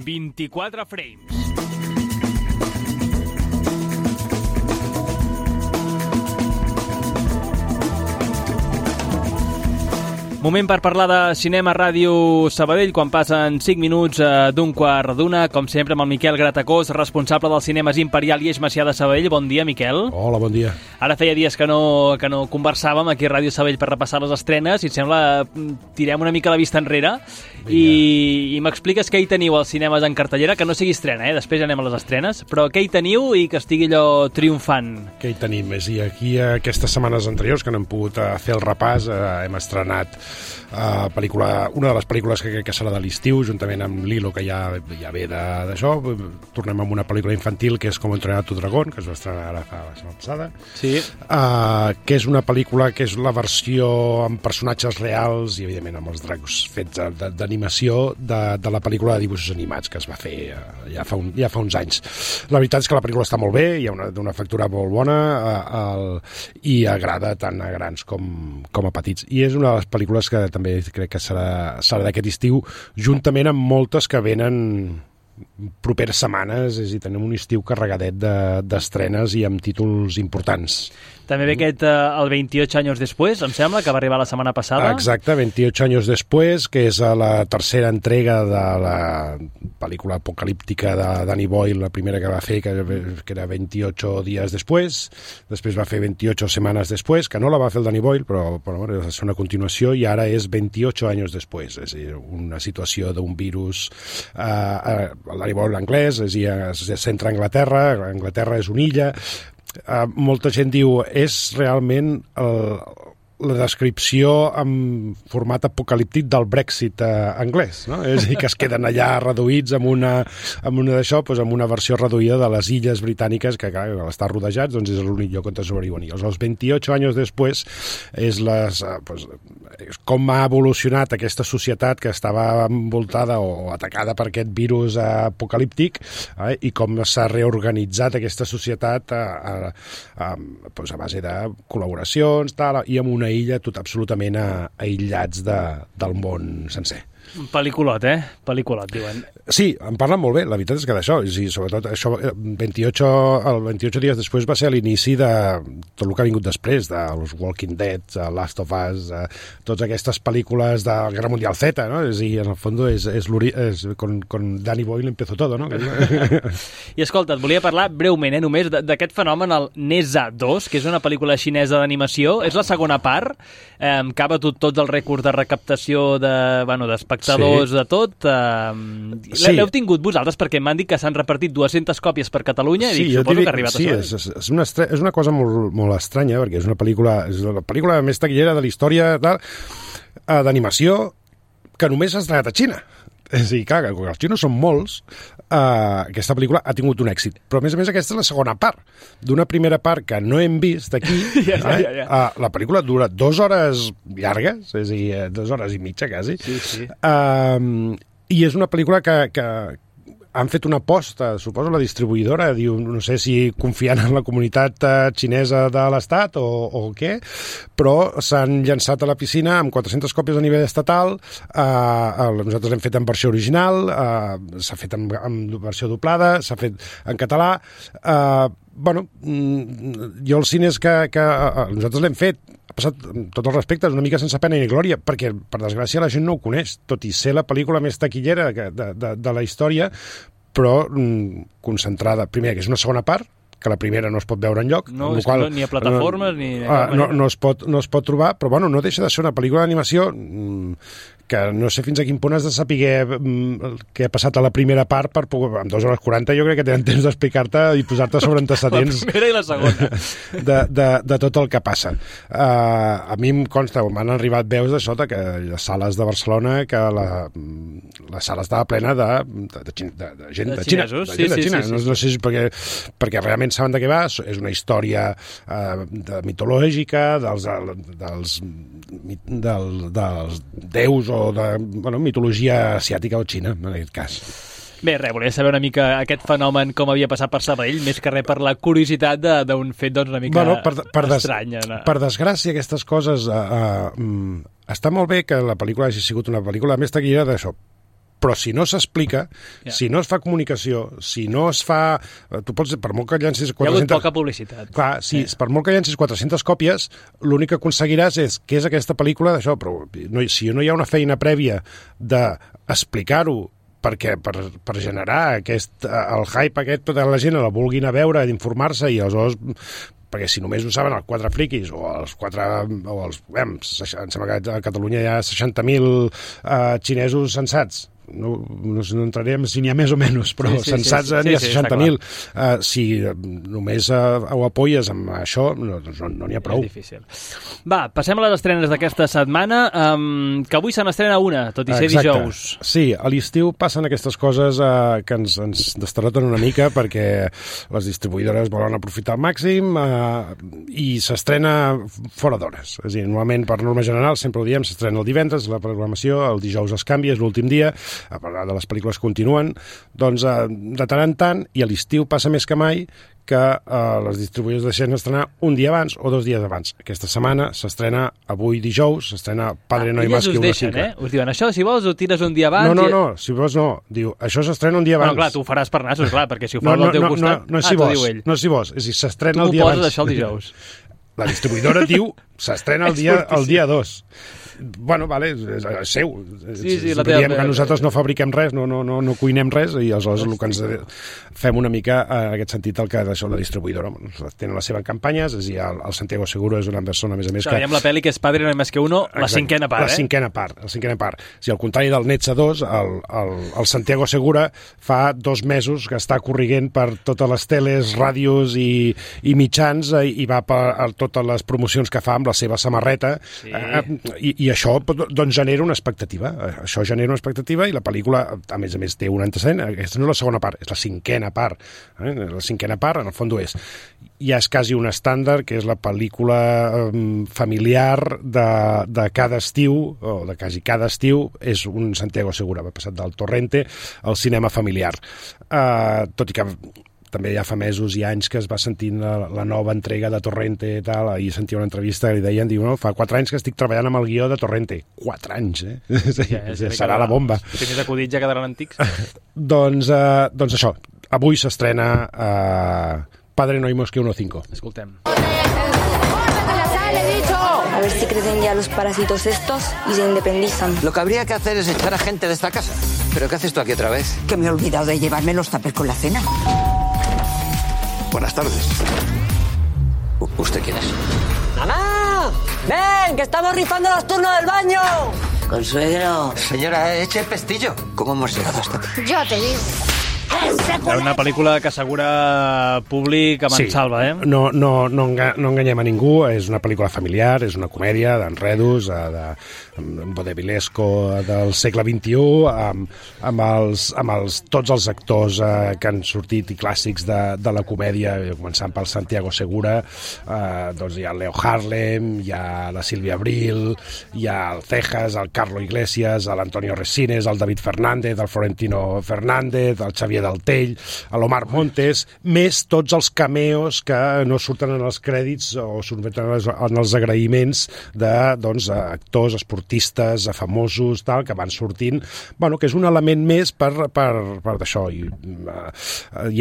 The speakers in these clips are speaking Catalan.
24 frames. Moment per parlar de cinema a Ràdio Sabadell quan passen 5 minuts d'un quart d'una, com sempre amb el Miquel Gratacós, responsable dels cinemes Imperial i Eix Macià de Sabadell. Bon dia, Miquel. Hola, bon dia. Ara feia dies que no conversàvem aquí a Ràdio Sabadell per repassar les estrenes i et sembla tirem una mica la vista enrere i m'expliques què hi teniu als cinemes en cartellera, que no sigui estrena, després ja anem a les estrenes, però què hi teniu i que estigui allò triomfant. Què hi tenim? I aquí aquestes setmanes anteriors que no hem pogut fer el repàs, hem estrenat una de les pel·lícules que crec que serà de l'estiu, juntament amb Lilo, que ja ve d'això. Tornem amb una pel·lícula infantil que és Com entrenar tu dragón, que es va estrenar ara fa la setmana passada, sí. Que és una pel·lícula que és la versió amb personatges reals i evidentment amb els dracs fets d'animació de la pel·lícula de dibuixos animats que es va fer ja fa uns anys. La veritat és que la pel·lícula està molt bé, hi ha d'una factura molt bona i agrada tant a grans com a petits, i és una de les pel·lícules que també crec que serà d'aquest estiu, juntament amb moltes que venen properes setmanes, és a dir, tenim un estiu carregadet d'estrenes i amb títols importants. També ve aquest el 28 anys després, em sembla, que va arribar la setmana passada. Exacte, 28 anys després, que és la tercera entrega de la pel·lícula apocalíptica de Danny Boyle, la primera que va fer, que era 28 dies després va fer 28 setmanes després, que no la va fer el Danny Boyle, però és una continuació, i ara és 28 anys després, és a dir, una situació d'un virus, el Danny Boyle anglès, és a dir, es centra a Anglaterra és una illa. Molta gent diu és realment la descripció en format apocalíptic del Brexit anglès, no? És a dir, que es queden allà reduïts amb una d'això, doncs amb una versió reduïda de les illes britàniques, que clar, al estar rodejats doncs és l'únic lloc on sobreviuen. I els 28 anys després és com ha evolucionat aquesta societat que estava envoltada o atacada per aquest virus apocalíptic, i com s'ha reorganitzat aquesta societat a base de col·laboracions i amb una illa absolutament aïllats del món sencer. Un pel·lículot, Pel·lículot, diuen. Sí, en parlen molt bé, la veritat és que d'això, i sobretot això, 28 dies després va ser l'inici de tot el que ha vingut després, de los Walking Dead, Last of Us, totes aquestes pel·lícules de la Guerra Mundial Z, no? És a dir, en el fons és con Danny Boyle empezó todo, no? I escolta, et volia parlar breument, només d'aquest fenomen, el Neza 2, que és una pel·lícula xinesa d'animació, és la segona part, que ha batut tots els rècords de recaptació d'espectadors, sí. De tot. Sí. L'heu tingut vosaltres perquè m'han dit que s'han repartit 200 còpies per Catalunya i suposo que ha arribat a això. Sí, és una cosa molt, molt estranya, perquè és la pel·lícula més taquillera de la història d'animació que només s'ha estrenat a Xina. És a dir, clar, que els xinos són molts, aquesta pel·lícula ha tingut un èxit. Però, a més, aquesta és la segona part d'una primera part que no hem vist aquí. La pel·lícula dura 2 hores llargues, és a dir, 2 hores i mitja, quasi. Sí. I és una pel·lícula que han fet una aposta, suposo la distribuïdora, diu, no sé si confiant en la comunitat xinesa de l'Estat o què, però s'han llançat a la piscina amb 400 còpies a nivell estatal, nosaltres l'hem fet en versió original, s'ha fet en versió doblada, s'ha fet en català, jo els cines que nosaltres l'hem fet, ha passat, amb tots els respectes, una mica sense pena ni glòria, perquè, per desgràcia, la gent no ho coneix, tot i ser la pel·lícula més taquillera de la història, però concentrada, primer, que és una segona part, que la primera no es pot veure enlloc. No, ni a plataformes, ni... No es pot trobar, però no deixa de ser una pel·lícula d'animació que no sé fins a quin punt has de saber què ha passat a la primera part per poder, amb 2 hores 40 jo crec que tenen temps d'explicar-te i posar-te sobre antecedents la primera i la segona de tot el que passa. A mi em consta, m'han arribat veus de sota que les sales de Barcelona, que la sala estava plena de gent de Xina. Sí. No sé si perquè realment saben de què va, és una història mitològica dels déus o de mitologia asiàtica o xina, en aquest cas. Bé, volia saber una mica aquest fenomen com havia passat per Sabadell, més que res per la curiositat d'un fet una mica estrany. Per desgràcia, aquestes coses... està molt bé que la pel·lícula hagi sigut una pel·lícula més taquillera d'això, però si no s'explica, si no es fa comunicació, si no es fa... Tu pots, per molt que llencis 400... Hi ha hagut poca publicitat. Clar, per molt que llencis 400 còpies, l'únic que aconseguiràs és què és aquesta pel·lícula d'això, però si no hi ha una feina prèvia d'explicar-ho perquè per generar el hype aquest de la gent la vulguin a veure, d'informar-se i aleshores... perquè si només ho saben els 4 friquis em sembla que a Catalunya hi ha 60.000 xinesos sensats. No entrarem si n'hi ha més o menys, però sensats n'hi ha 60.000. Si només ho apoyes amb això, no n'hi ha prou. És difícil. Va, passem a les estrenes d'aquesta setmana, que avui se n'estrena una, tot i ser dijous. Sí, a l'estiu passen aquestes coses que ens destaroten una mica perquè les distribuïdores volen aprofitar al màxim i s'estrena fora d'hores. És a dir, normalment, per norma general, sempre ho diem, s'estrena el divendres, la programació, el dijous es canvia, és l'últim dia, a part de les pel·lícules continuen, doncs de tant en tant, i a l'estiu passa més que mai, que les distribuïdors deixen estrenar un dia abans o 2 dies abans. Aquesta setmana s'estrena avui dijous, s'estrena Padre no hay más que uno cinco. Us diuen, això, si vols, ho tires un dia abans... No, si vols no. Diu, això s'estrena un dia abans. Bueno, clar, tu ho faràs per nassos, clar, perquè si ho fas al teu costat... No, si vols, no si vols. És a dir, s'estrena el dia abans. Tu m'ho poses això el dijous. La distribuïdora diu, s'estrena el dia 2. Bueno, vale, és seu. La teva... que nosaltres no fabriquem res, no cuinem res, i aleshores el que ens fem una mica en aquest sentit el que d'això la distribuïdora tenen les seves campanyes, és a dir, el Santiago Seguro és una persona, a més a més, que... Veiem la pel·li que és Padre no hay más que uno, la cinquena part, La cinquena part. Si al contrari del Netza 2, el Santiago Segura fa 2 mesos que està corriguent per totes les teles, ràdios i mitjans i va per totes les promocions que fa amb la seva samarreta, i això doncs genera una expectativa. Això genera una expectativa i la pel·lícula, a més, té un antecedent. Aquesta no és la segona part, és la cinquena part. La cinquena part, en el fons, ja és quasi un estàndard, que és la pel·lícula familiar de cada estiu, o de quasi cada estiu, és un Santiago Segura. Va passar del Torrente al cinema familiar. Tot i que també ja fa mesos i anys que es va sentint la nova entrega de Torrente i tal, i sentia una entrevista que li deien, fa 4 anys que estic treballant amb el guió de Torrente. 4 anys, serà la bomba. Si més acudits ja quedaran antics. Doncs això, avui s'estrena Padre no hay más que uno cinco. Escoltem. A ver si crecen ya los parásitos estos y se independizan. Lo que habría que hacer es echar a gente de esta casa. ¿Pero qué haces tú aquí otra vez? Que me he olvidado de llevarme los tuppers con la cena. Buenas tardes. ¿Usted quién es? ¡Mamá! ¡Ven, que estamos rifando los turnos del baño! Consuegro. Señora, eche el pestillo. ¿Cómo hemos llegado hasta aquí? Yo te digo. Una pel·lícula que assegura públic a mansalva, No enganyem a ningú, és una pel·lícula familiar, és una comèdia d'enredos, de vodevillesco del segle XXI, amb tots els actors que han sortit i clàssics de la comèdia, començant pel Santiago Segura, doncs hi ha el Leo Harlem, hi ha la Sílvia Abril, hi ha el Cejas, el Carlo Iglesias, l'Antonio Resines, el David Fernández, el Florentino Fernández, el Xavier Daltell, l'Omar Montes, més tots els cameos que no surten en els crèdits o surten en els agraïments d'actors, esportistes, famosos, tal, que van sortint, que és un element més per d'això. Hi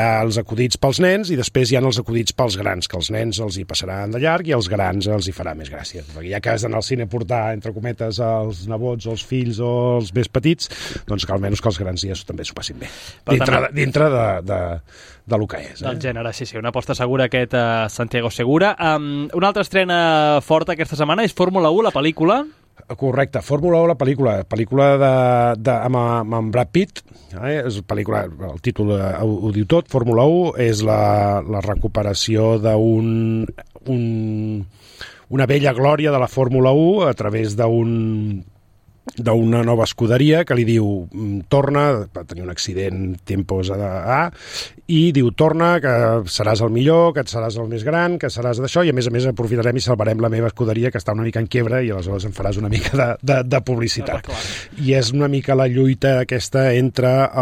ha els acudits pels nens i després hi ha els acudits pels grans, que els nens els hi passaran de llarg i als grans els hi farà més gràcia. Perquè ja que has d'anar al cine a portar, entre cometes, els nebots, els fills o els més petits, doncs que almenys que els grans ja també s'ho passin bé. Dintre de lo que és. Del gènere, sí, una aposta segura aquest Santiago Segura. Una altra estrena forta aquesta setmana és Fórmula 1, la pel·lícula. Correcte, Fórmula 1, la pel·lícula amb Brad Pitt, és pel·lícula, el títol ho diu tot. Fórmula 1 és la recuperació d'una vella glòria de la Fórmula 1 a través d'una nova escuderia que li diu torna, va tenir un accident tempos A, i diu torna, que seràs el millor, que et seràs el més gran, que seràs d'això, i a més aprofitarem i salvarem la meva escuderia que està una mica en quiebra i aleshores em faràs una mica de publicitat. I és una mica la lluita aquesta entre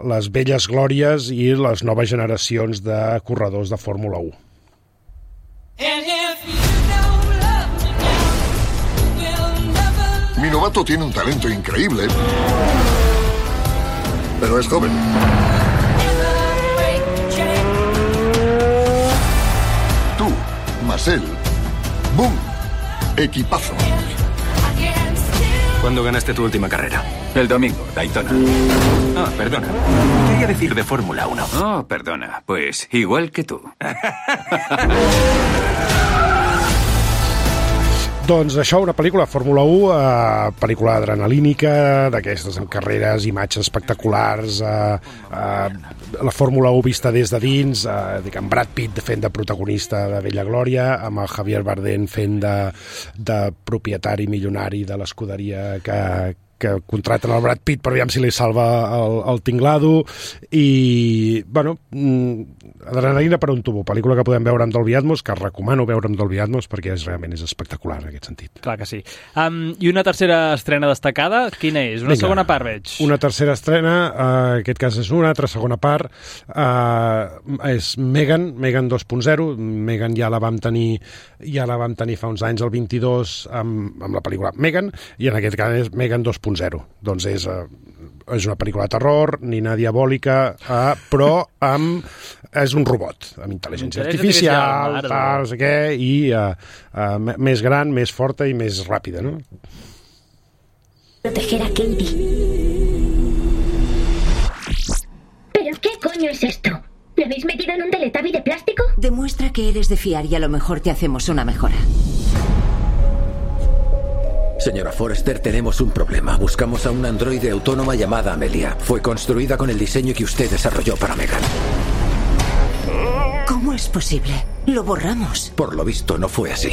les velles glòries i les noves generacions de corredors de Fórmula 1. Mi novato tiene un talento increíble. pero es joven. Tú, Marcel. ¡Boom! Equipazo. ¿Cuándo ganaste tu última carrera? El domingo, Daytona. Ah, perdona. Quería decir de Fórmula 1. Oh, perdona. Pues igual que tú. Doncs això, una pel·lícula Fórmula 1, pel·lícula adrenalínica, d'aquestes amb carreres, imatges espectaculars, la Fórmula 1 vista des de dins, amb Brad Pitt fent de protagonista de Vella Glòria, amb el Javier Bardem fent de propietari milionari de l'escuderia que contraten el Brad Pitt per aviam si li salva el tinglado, i bueno, adrenalina per un tubo, pel·lícula que podem veure amb Dolby Atmos, que recomano veure amb Dolby Atmos perquè realment és espectacular en aquest sentit. Clar que sí. I una tercera estrena destacada, quina és? Una segona part, veig. Una tercera estrena, en aquest cas és una altra segona part, és Megan 2.0. Megan ja la vam tenir fa uns anys, el 22, amb la pel·lícula Megan, i en aquest cas és Megan 2.0. Doncs és una pel·lícula de terror, nina diabòlica, però és un robot amb intel·ligència artificial, tal, no sé què, i més gran, més forta i més ràpida, ¿no? Proteger a Katie. ¿Pero qué coño es esto? ¿Me habéis metido en un Teletubby de plástico? Demuestra que eres de fiar y a lo mejor te hacemos una mejora. Señora Forrester, tenemos un problema. Buscamos a una androide autónoma llamada Amelia. Fue construida con el diseño que usted desarrolló para Megan. ¿Cómo es posible? Lo borramos. Por lo visto, no fue así.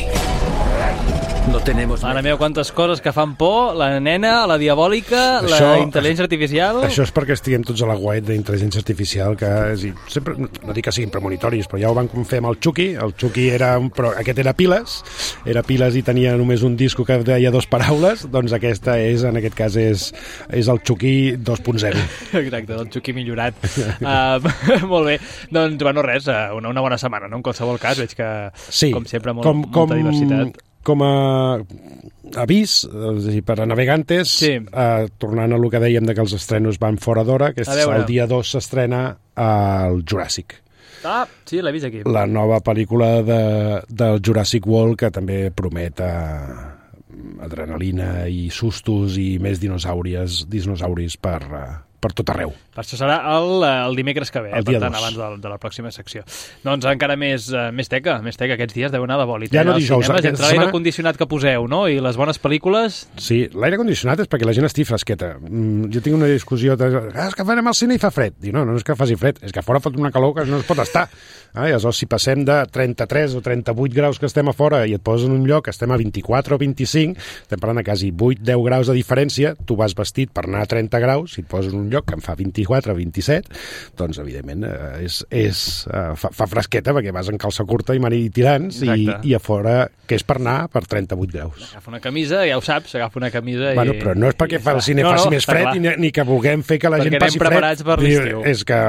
No tenemos... Mare meva, quantes coses que fan por. La nena, la diabòlica, la intel·ligència artificial... Això és perquè estiguem tots a la guait d'intel·ligència artificial, que sempre, no dic que siguin premonitoris, però ja ho van fer amb el Chucky. El Chucky però aquest era piles i tenia només un disco que deia 2 paraules, doncs aquesta és, en aquest cas, és el Chucky 2.0. Exacte, el Chucky millorat. Molt bé. Doncs, bueno, res, una bona setmana, no? En qualsevol cas, veig que, com sempre, molta diversitat. Com a avís, per a navegantes, tornant a lo que dèiem de que els estrenos van fora d'hora, que el dia 2 s'estrena el Jurassic. Ah, sí, l'he vist aquí. La nova pel·lícula del Jurassic World, que també promet adrenalina i sustos i més dinosauris per tot arreu. Per això serà el dimecres que ve, per tant, abans de la pròxima secció. Doncs encara més teca aquests dies deu anar de bòlit. Ja no dijous. Entre l'aire condicionat que poseu, no?, i les bones pel·lícules... Sí, l'aire condicionat és perquè la gent estigui fresqueta. Jo tinc una discussió és que farem al cine i fa fred. Dic, no és que faci fred, és que a fora fot una calor que no es pot estar. I aleshores, si passem de 33 o 38 graus que estem a fora i et poses en un lloc que estem a 24 o 25, estem parlant de quasi 8-10 graus de diferència, tu vas vestit per anar a 30 graus, si et poses en un lloc que em fa 24 o 27, doncs, evidentment, fa fresqueta perquè vas en calça curta i mani tirants i a fora, que és per anar per 38 graus. Agafa una camisa, ja ho saps, agafa una camisa i... Bueno, però no és perquè el cine faci més fred ni que vulguem fer que la gent passi fred. Perquè anem preparats per l'estiu. És que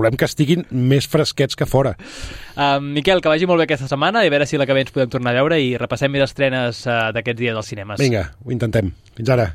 volem que estiguin més fresquets que fora. Miquel, que vagi molt bé aquesta setmana i a veure si la que ve ens podem tornar a veure i repassem més estrenes d'aquests dies als cinemes. Vinga, ho intentem. Fins ara.